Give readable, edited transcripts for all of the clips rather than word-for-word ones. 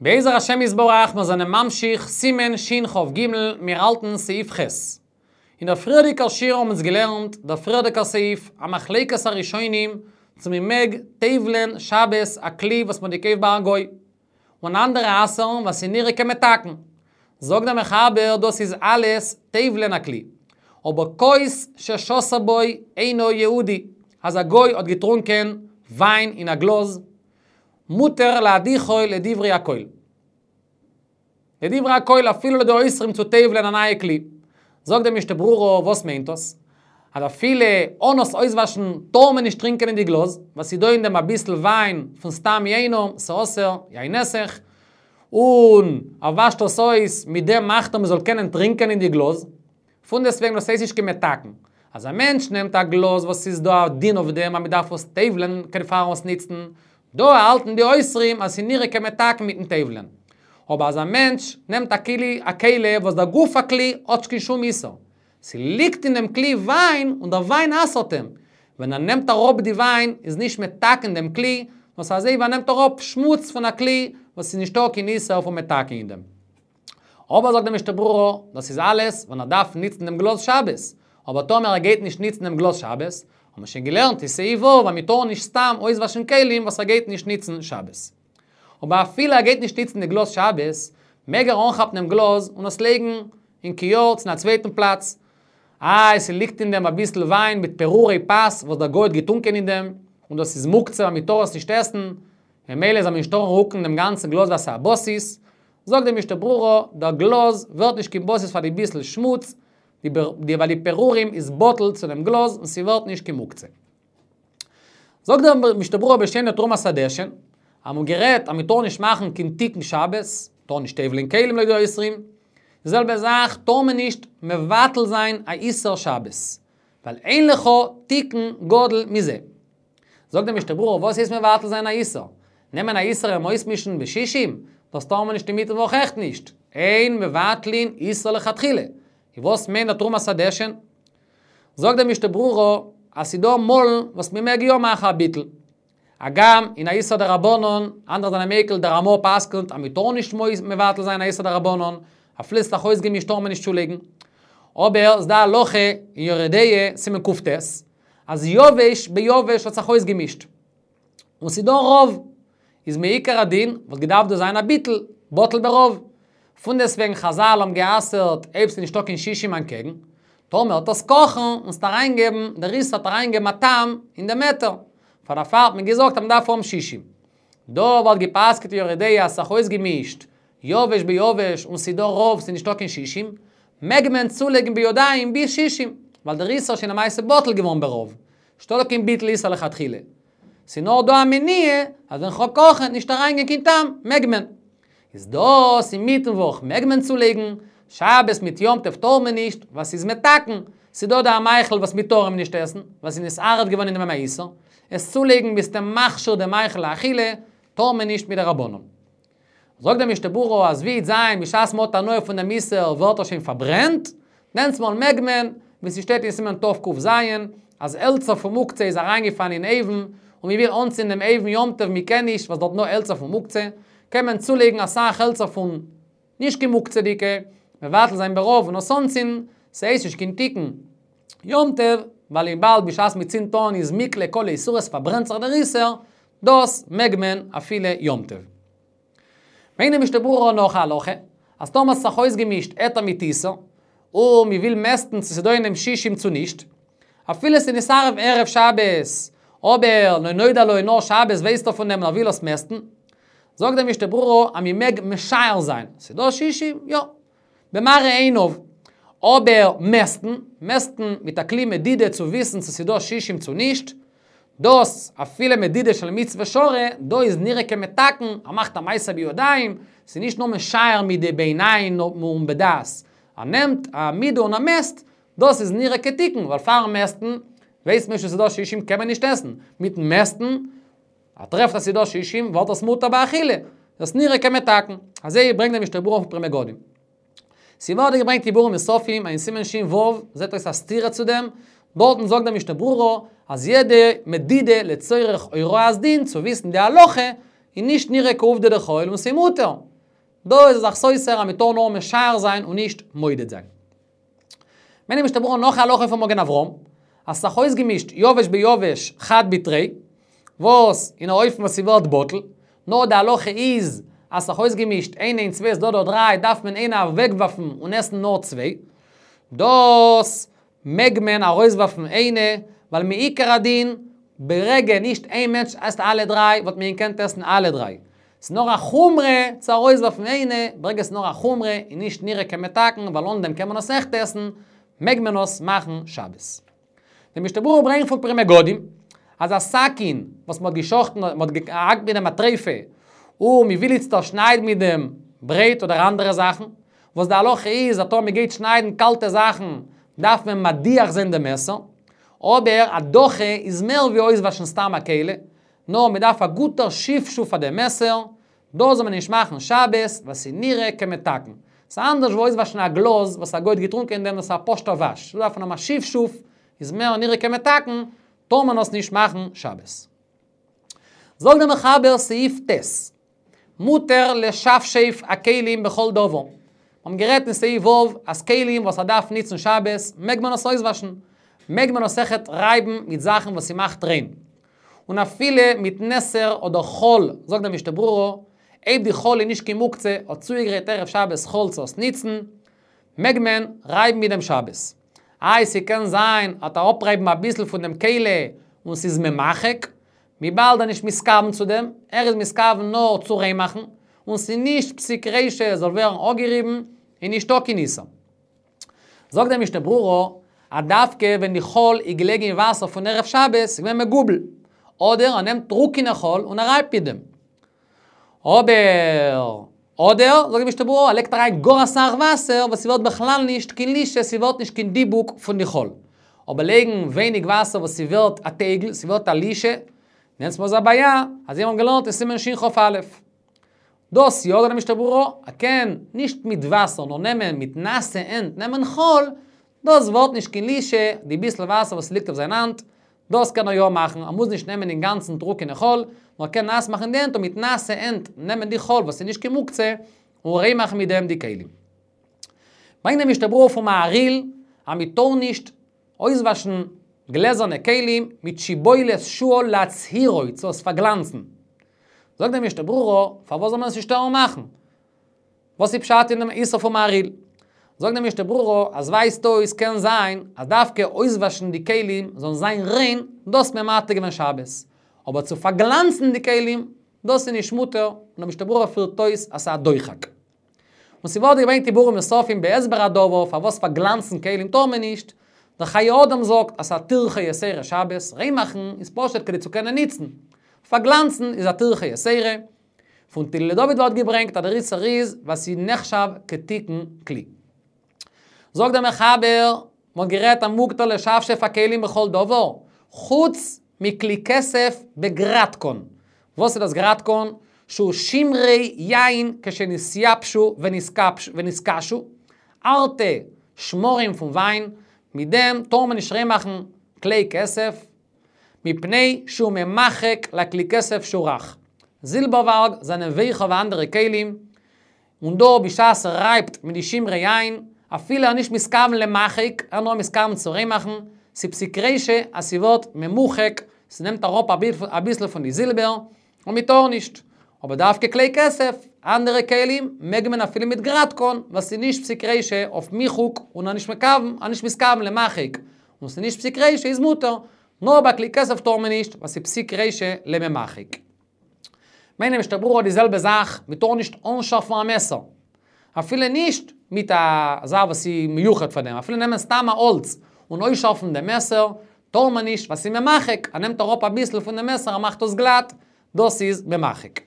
בעזר השם יתברך מיר זענען ממשיך סימן שכ"ג, מיר האלטן סעיף ח'. אין דער פריערדיגער שיעור האבן אונז געלערנט דער פריערדיגער סעיף, א מחלוקת הראשונים צו מען מעג טובל'ען שבת א כלי וואס מען האט געקויפט ביי א גוי, און אנדערע אסר'ן ווייל ס'איז נראה כמתקן. זאגט דער מחבר דאס איז אלעס טובל'ען א כלי. אבער כוס ששתה בו אינו יהודי, אז א גוי האט געטרונקען וויין אין א גלאז, מותר להדיחו לדברי הכל. לדברי הכל אפילו לויט די אוסרים צו טובל'ען א נייע כלי. זאגט די משנה ברורה וואס מיינט דאס? אז אפילו אן עס אויסוואשן טאר מען נישט טרינקען אין די גלאז, ווייל ס'איז דא אין דעם אביסל וויין פון סתם יינם, ס'אסור, יין נסך, און ער וואשט עס אויס, מיט דעם מאכט ער מ'זאל קענען טרינקען אין די גלאז. פונדעסטוועגן דאס הייסט נישט קיין מתקן. אז א מענטש נעמט א גלאז וואס ס'איז דא א דין אויף דעם אז מ'דארף עס טובל'ען כדי פארן עס ניצן, דא האלטן די אוסרים אז ס'איז נראה כמתקן מיטן טובל'ען. אבער אז א מענטש נעמט א כלי א כלי וואס דער גוף הכלי האט נישט קיין שום איסור, ס'ליגט אין דעם כלי וויין און דער וויין אסר'ט אים, ווען ער נעמט אראפ די וויין איז נישט מתקן דעם כלי, נאר ס'איז אזוי ווי ער נעמט אראפ שמוץ פון א כלי וואס ס'איז נישטא קיין איסור פון מתקן אין דעם. אבער זאגט די משנה ברורה, דאס איז אלעס ווען ער דארף ניצן דעם גלאז שבת, אבער טאמער ער גייט נישט ניצן דעם גלאז שבת, האט מען שוין געלערנט אין סעיף ו' אז מען טאר נישט סתם אויסוואשן כלים וואס ער גייט נישט ניצן שבת. אבער אפילו ער גייט נישט ניצן די גלאז שבת, מעג ער אנכאפן דעם גלאז און עס לייגן אין כיור צו אין א צווייטן פלאץ. איי, ס'ליגט אין דעם אביסל וויין מיט פירורי פת וואס דער גוי האט געטונקען אין דעם, און דאס איז מוקצה אז מען טאר עס נישט עסן, ממילא זאל מען נישט טארן רוקן דעם גאנצן גלאז ווייל ס'איז א בסיס, זאגט די משנה ברורה, דער גלאז ווערט נישט קיין בסיס פאר די ביסל שמוץ, די ווייל די פירורים איז בטל צו דעם גלאז און ס'ווערט נישט קיין מוקצה. זאגט דער משנה ברורה בשם דער תרומת הדשן, אז מ'האט גערעדט אז מ'טאר נישט מאכן קיין תיקון שבת, טאר נישט טובל'ען כלים לויט די אוסרים, די זעלבע זאך טאר מען נישט מבטל זיין א איסור שבת, ווייל אין לך תיקון גדול מזה. זאגט דער משנה ברורה וואס הייסט מבטל זיין א איסור? נעמען א איסור אים אויסמישן בשישים? דאס טאר מען נישט אינמיטן וואך אויכעט נישט, אין מבטלין איסור לכתחילה. און וואס מיינט דער תרומת הדשן? זאגט דער משנה ברורה אז ס'דא מאלן וואס מ'מעג יא מאכן א ביטול. הגם אין א איסור דרבנן, אנדערע זענען מיקל, דער רמא פסק'נט אז מ'טאר נישט מבטל זיין א איסור דרבנן, אפילו ס'איז אויסגעמישט טאר מען נישט צולייגן. אבער ס'דא א הלכה אין יורה דעה, סימן קט, אז יבש ביבש האט זיך אויסגעמישט. און ס'דא רוב. איז מעיקר הדין וואלט געדארפט דא זיין א ביטול, בטל ברוב. פונדעסטוועגן חזל האבן גע'אסר'ט אויב ס'איז נישטא קיין שישים אנטקעגן. טאמער וועט עס קאכן און ס'וועט אריינגעבן, דער איסור וועט אריינגעבן א טעם אין דעם היתר. פאר דערפאר האט מען געזאגט אז מ'דארף האבן שישים. דא וואלט גע'פסק'ט יורה דעה אז ס'זיך אויסגעמישט יבש ביבש און ס'דא רוב ס'איז נישטא קיין שישים, מעג מען צולייגן בידיים ביז שישים, ווייל דער איסור איז שוין למעשה בטל געווארן ברוב. נישטא דא קיין ביטול איסור לכתחילה. ס'איז נאר דא א מניעה אז ווען כ'וועל קאכן וועט נישט אריינגיין קיין טעם, מעג מען. איז דאס אינמיטן וואך מעג מען צולייגן, שבת מיט יום טוב טאר מען נישט, ווייל ס'איז מתקן, ס'איז דא דא א מאכל וואס מ'טאר אים נישט עסן, ווייל ס'איז נתערב געווארן אין דעם א איסור, עס צולייגן ביסטו מכשיר דעם מאכל לאכילה, טאר מען נישט מדרבנן. זאגט דער משנה ברורה אז ווי וועט זיין בשעת מ'האט הנאה פון דעם איסור ווערט ער שוין פארברענט, דענסמאל מעג מען, ווי ס'שטייט אין סימן תק"ז, אז העלצער פון מוקצה איז אריינגעפאלן אין אויוון, און מ'וויל אנצינדן דעם אויוון יום טוב מ'קען נישט ווייל ס'דארט נאר העלצער פון מוקצה, קען מען צולייגן אסאך העלצער פון נישט קיין מוקצה'דיגע, מבטל זיין ברוב און עס אנצינדן, ס'הייסט נישט קיין תיקון יום טוב, ווייל וויבאלד בשעת מ'צינדט אן איז מכלה כל איסורא ס'פארברענט זיך דער איסור, דאס מעג מען אפילו יום טוב. ברענגט די משנה ברורה נאך א הלכה, אז טאמער ס'זיך אויסגעמישט היתר מיט איסור, און מ'וויל מעסטן צו ס'דא אין דעם שישים צו נישט, אפילו ס'נתערב ערב שבת, אבער לא נודע לו נאר שבת ווייסט ער פון דעם און ער וויל עס מעסטן, זאגט די משנה ברורה אז מ'מעג משער זיין, ס'דא שישים? יא. במראה עיניו. אבער מעסטן, מעסטן מיט א כלי מדידה צו וויסן צו ס'דא שישים צו נישט, דאס אפילו מדידה של מצוה שרי, דא איז נראה כמתקן, ער מאכט א מעשה בידיים, ס'איז נישט נאר משער מיט די בעיניים און בדעת, ער נעמט א מידה און ער מעסט, דאס איז נראה כתיקון, ווייל פארן מעסטן ווייסט מען נישט צו ס'דא שישים קען מען נישט עסן, מיטן מעסטן ער טרעפט אז ס'דא שישים ווערט עס מותר באכילה, דאס נראה כמתקן, אזוי ברענגט דער משנה ברורה פון פרי מגדים. ס'ווערט געברענגט אין ביאורים נוספים אין סימן ש"ו, זעט אויס א סתירה צו דעם, דארטן זאגט דער משנה ברורה אז יעדע מדידה לצורך הוראת דין צו וויסן די הלכה איז נישט נראה כעובדא דחול און ס'איז מותר. דא איז ער זיך סותר אז מען טאר נאר משער זיין און נישט מודד זיין. ברענגט די משנה ברורה נאך א הלכה פון מגן אברהם, אז ס'זיך אויסגעמישט יבש ביבש חד בתרי, וואס אין א אופן וואס ס'ווערט בטל, נאר די הלכה איז אז ס'זיך אויסגעמישט איינע און צוויי ס'דא דא דריי דארף מען איינע אוועקווארפן און עסן נאר צוויי, דאס מעג מען ארויסווארפן איינע, ווייל מעיקר הדין ברגע נישט איין מענטש עסט אלע דריי וואלט מען געקענט עסן אלע דריי. ס'איז נאר א חומרא צו ארויסווארפן איינע, ברגע ס'איז נאר א חומרא און נישט נראה כמתקן ווייל אן דעם קען מען עס עכט עסן, מעג מען עס מאכן שבת. די משנה ברורה ברענגט פון פרי מגדים אז א סכין וואס מ'האט געשחט'ן מ'האט געהאקט מיט דעם א טריפה און מ'וויל איצטער שניידן מיט דעם ברויט אדער אנדערע זאכן, וואס די הלכה איז אז טאמער מ'גייט שניידן קאלטע זאכן דארף מען מדיח זיין דעם מעסער, אבער הדחה איז מער ווי אויסוואשן סתם א כלי, נאר מ'דארף א גוטער שפשוף פאר דעם מעסער, דאס זאל מען נישט מאכן שבת, ווייל ס'איז נראה כמתקן. ס'איז אנדערש ווי אויסוואשן א גלאז וואס א גוי האט געטרונקען אין דעם, דאס איז א פשוט'ער וואש. דא דארף מען האבן א שפשוף, איז מער נראה כמתקן, טאר מען עס נישט מאכן שבת. זאגט דער מחבר סעיף ט', מותר לשפשף הכלים בכל דבר. מיר האבן גערעדט אין סעיף ו' אז כלים וואס ער דארף ניצן שבת מעג מען עס אויסוואשן. מעג מען עס אויכעט רייבן מיט זאכן וואס ס'מאכט ריין. און אפילו מיט נתר אדער חול, זאגט דער משנה ברורה, אויב די חול איז נישט קיין מוקצה, האט צוגעגרייט ערב שבת חול צו עס ניצן, מעג מען רייבן מיט דעם שבת. איי ס'קען זיין עט ער אפרייבן אביסל פון דעם כלי און ס'איז ממחק, וויבאלד ער נישט מתכוון צו דעם, ער איז מתכוון נאר צו ריין מאכן, און ס'איז נישט פסיק רישא זאל ווערן אפגעריבן, איז נישטא קיין איסור. זאגט דער משנה ברורה, אז דווקא ווען די חול איז געלעגן אין וואסער פון ערב שבת, איז געווען מגובל, אדער ער נעמט טרוקענע חול און ער רייבט מיט דעם. אבער, אדער, זאגט די משנה ברורה, ער לייגט אריין גאר אסאך וואסער וואס ס'ווערט בכלל נישט קיין לישה, ס'ווערט נישט קיין דיבוק פון די חול. אבער לייגן ווייניג וואסער וואס ס'ווערט א טייגל, ס'ווערט א לישה, דענסמאל איז א בעיה, אזוי האבן מיר געלערנט אין סימן שכ"א. דאס יא, זאגט די משנה ברורה, ער קען נישט מיט וואסער נאר נעמען מיט נאסע הענט נעמען חול, דאס ווערט נישט קיין לישה, די ביסל וואסער וואס ליגט אויף זיין האנט, דאס קען ער יא מאכן, ער מוז נישט נעמען אינגאנצן טרוקענע חול, נאר ער קען נאס מאכן די הענט און מיט נאסע הענט נעמען די חול וואס איז נישט קיין מוקצה, און ריין מאכן מיט דעם די כלים. ברענגט די משנה ברורה פון מהרי"ל אז מען טאר נישט אויסוואשן גלעזערנע כלים מיט שיבולת שועל להצהירו צו עס פארגלאנצן. זאגט די משנה ברורה, פארוואס זאל מען עס נישט טארן מאכן? וואס איז פשט אין דעם איסור פון מהרי"ל? זאגט די משנה ברורה, אז ווייזט אויס קען זיין אז דווקא אויסוואשן די כלים זאלן זיין ריין, דאס האט מען מתיר געווען שבת, אבער צו פארגלאנצן די כלים, דאס איז נישט מותר, און די משנה ברורה פירט אויס אז ס'איז א דוחק. און ס'ווערט געברענגט אין ביאורים נוספים בהסבר הדבר פארוואס פארגלאנצן כלים טאר מען נישט, דער חיי אדם זאגט אז ס'איז א טירחא יתירה שבת, ריין מאכן איז פשוט כדי צו קענען ניצן, פארגלאנצן איז א טירחא יתירה. פון תהילה לדוד ווערט געברענגט אז דער איסור איז ווייל ס'איז נחשב כתיקון כלי. זאגט דער מחבר, מ'האט גערעדט אז מותר לשפשף הכלים בכל דבר, חוץ מכלי כסף בגרטקון. וואס איז דאס גרטקון? שהוא שמרי יין כשנתייבשו ונתקשו, הארטע שמרים פון וויין, מיט דעם טאר מען נישט ריין מאכן כלי כסף, מפני שהוא ממחק לכלי כסף שהוא רך. זילבערווארג זענען ווייכער ווי אנדערע כלים, און דא בשעת ער רייבט מיט די שמרי יין, אפילו ער נישט מתכוון למחק, ער נאר מתכוון צו ריין מאכן, ס'פסיק רישא אז ס'ווערט ממוחק, ס'נעמט אראפ אביסל פון די זילבער, און מ'טאר נישט. אבער דווקא כלי כסף, אנדערע כלים, מעג מען אפילו מיט גרטקון, ווייל ס'איז נישט פסיק רישא אויף מיחוק, און ער נישט מכוון, ער נישט מתכוון למחק, און ס'איז נישט פסיק רישא איז מותר, נאר ביי כלי כסף טאר מען נישט, ווייל ס'איז פסיק רישא לממחק. ברענגט די משנה ברורה די זעלבע זאך, מען טאר נישט אנשארפן א מעסער. אפילו נישט מיט א זאך וואס איז מיוחד פאר דעם, אפילו נעמען סתם א האלץ און אויסשארפן דעם מעסער, טאר מען נישט ווייל ס'איז ממחק, ער נעמט אראפ אביסל פון דעם מעסער ער מאכט עס גלאט, דאס איז ממחק.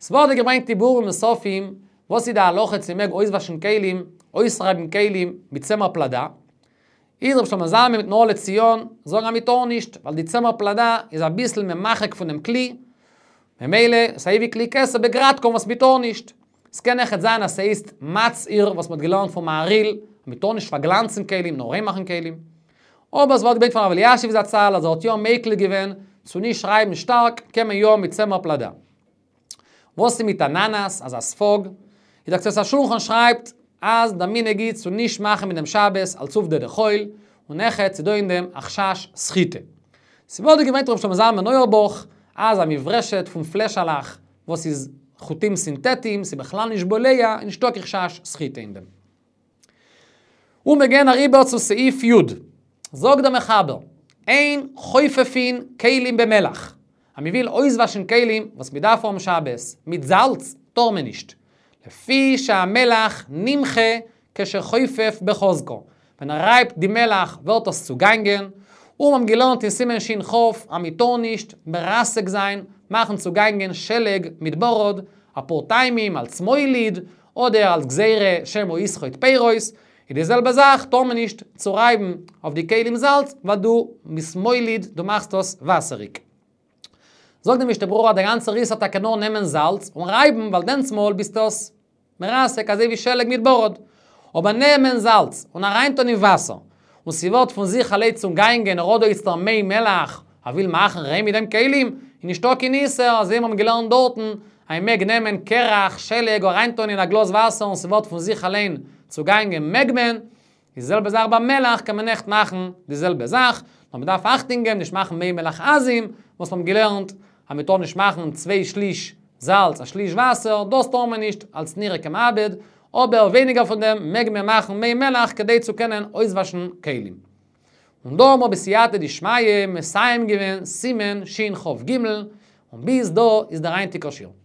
ס'ווערט דא געברענגט אין ביאורים נוספים, וואס איז די הלכה צו מ'מעג אויסוואשן כלים, אויסרייבן כלים, מיט צמר פלדה. איז רבי שלמה זלמן מיטן אור לציון זאגן אז מ'טאר נישט, ווייל די צמר פלדה איז אביסל ממחק פונעם כלי, ממילא ס'אזוי ווי כלי כסף בגרטקון וואס מ'טאר נישט. ס'קען אויכעט זיין אז ס'הייסט מצהיר וואס מ'האט געלערנט פון מהרי"ל, אז מ'טאר נישט פארגלאנצן כלים נאר ריין מאכן כלים. אבער ס'ווערט געברענגט פון הרב אלישיב זצ"ל אז ער האט יא מיקל געווען צו נישט רייבן שטארק קען מען יא מיט צמר פלדה. וואס איז מיט א ננס, אזא ספוג? איז דער קצות השולחן שרייבט אז דער מנהג איז צו נישט מאכן מיט דעם שבת אלס עובדא דחול, און אויכעט ס'איז דא אין דעם א חשש סחיטה. ס'ווערט דא געברענגט ר' שלמה זלמן אויערבאך אז א מברשת פון פלעשעלעך וואס איז חוטים סינטעטיים, ס'איז בכלל נישט בולע, איז נישטא קיין חשש סחיטה אין דעם. און מיר גייען אריבער צו סעיף י'. זאגט דער מחבר, אין חופפין כלים במלח. אז מען וויל אויסוואשן כלים וואס מען דארף האבן שבת מיט זאלץ, טאר מען נישט. לפי שהמלח נמחה כשחופף בחוזקה. ווען ער רייבט די מלח ווערט עס צוגאנגען, און מיר האבן געלערנט אין סימן שכ אז מען טאר נישט מרסק זיין, מאכן צוגאנגען שלג מיט ברד, אפאר טעמים אלס מוליד, אדער אלס גזירה שמא יסחוט פירות, איז די זעלבע זאך טאר מען נישט צורייבן אויף די כלים זאלץ ווייל דו ביסט מוליד דו מאכסט עס וואסעריג. זאגט די משנה ברורה אז דער גאנצער איסור טאקע נאר נעמען זאלץ און רייבן ווייל דענסמאל ביסטו עס מרסק אזוי ווי שלג מיט ברד. אבער נעמען זאלץ און אריינטון אין וואסער און ס'ווערט פון זיך אליין צוגאנגען ער האט דא איצטער מי מלח ער וויל מאכן ריין מיט דעם כלים, איז נישטא קיין איסור, אזוי ווי מיר האבן געלערנט דארטן, אז מען מעג נעמען קרח, שלג, אריינטון אין א גלאז וואסער און ס'ווערט פון זיך אליין צוגאנגען מעג מען, די זעלבע זאך ביי מלח קען מען אויכעט מאכן די זעלבע זאך, נאר מען דארף אכטונג געבן נישט מאכן מי מלח עזים, וואס מיר האבן געלערנט אז מען טאר נישט מאכן צוויי שליש זאלץ א שליש וואסער, דאס טאר מען נישט אלס נראה כמאבד, אבער ווייניגער פון דעם מעג מען מאכן מי מלח כדי צו קענען אויסוואשן כלים. און דא האבן מיר בסייעתא דשמיא מסיים געווען סימן שכ ג, און ביז דא איז דער היינטיגער שיעור.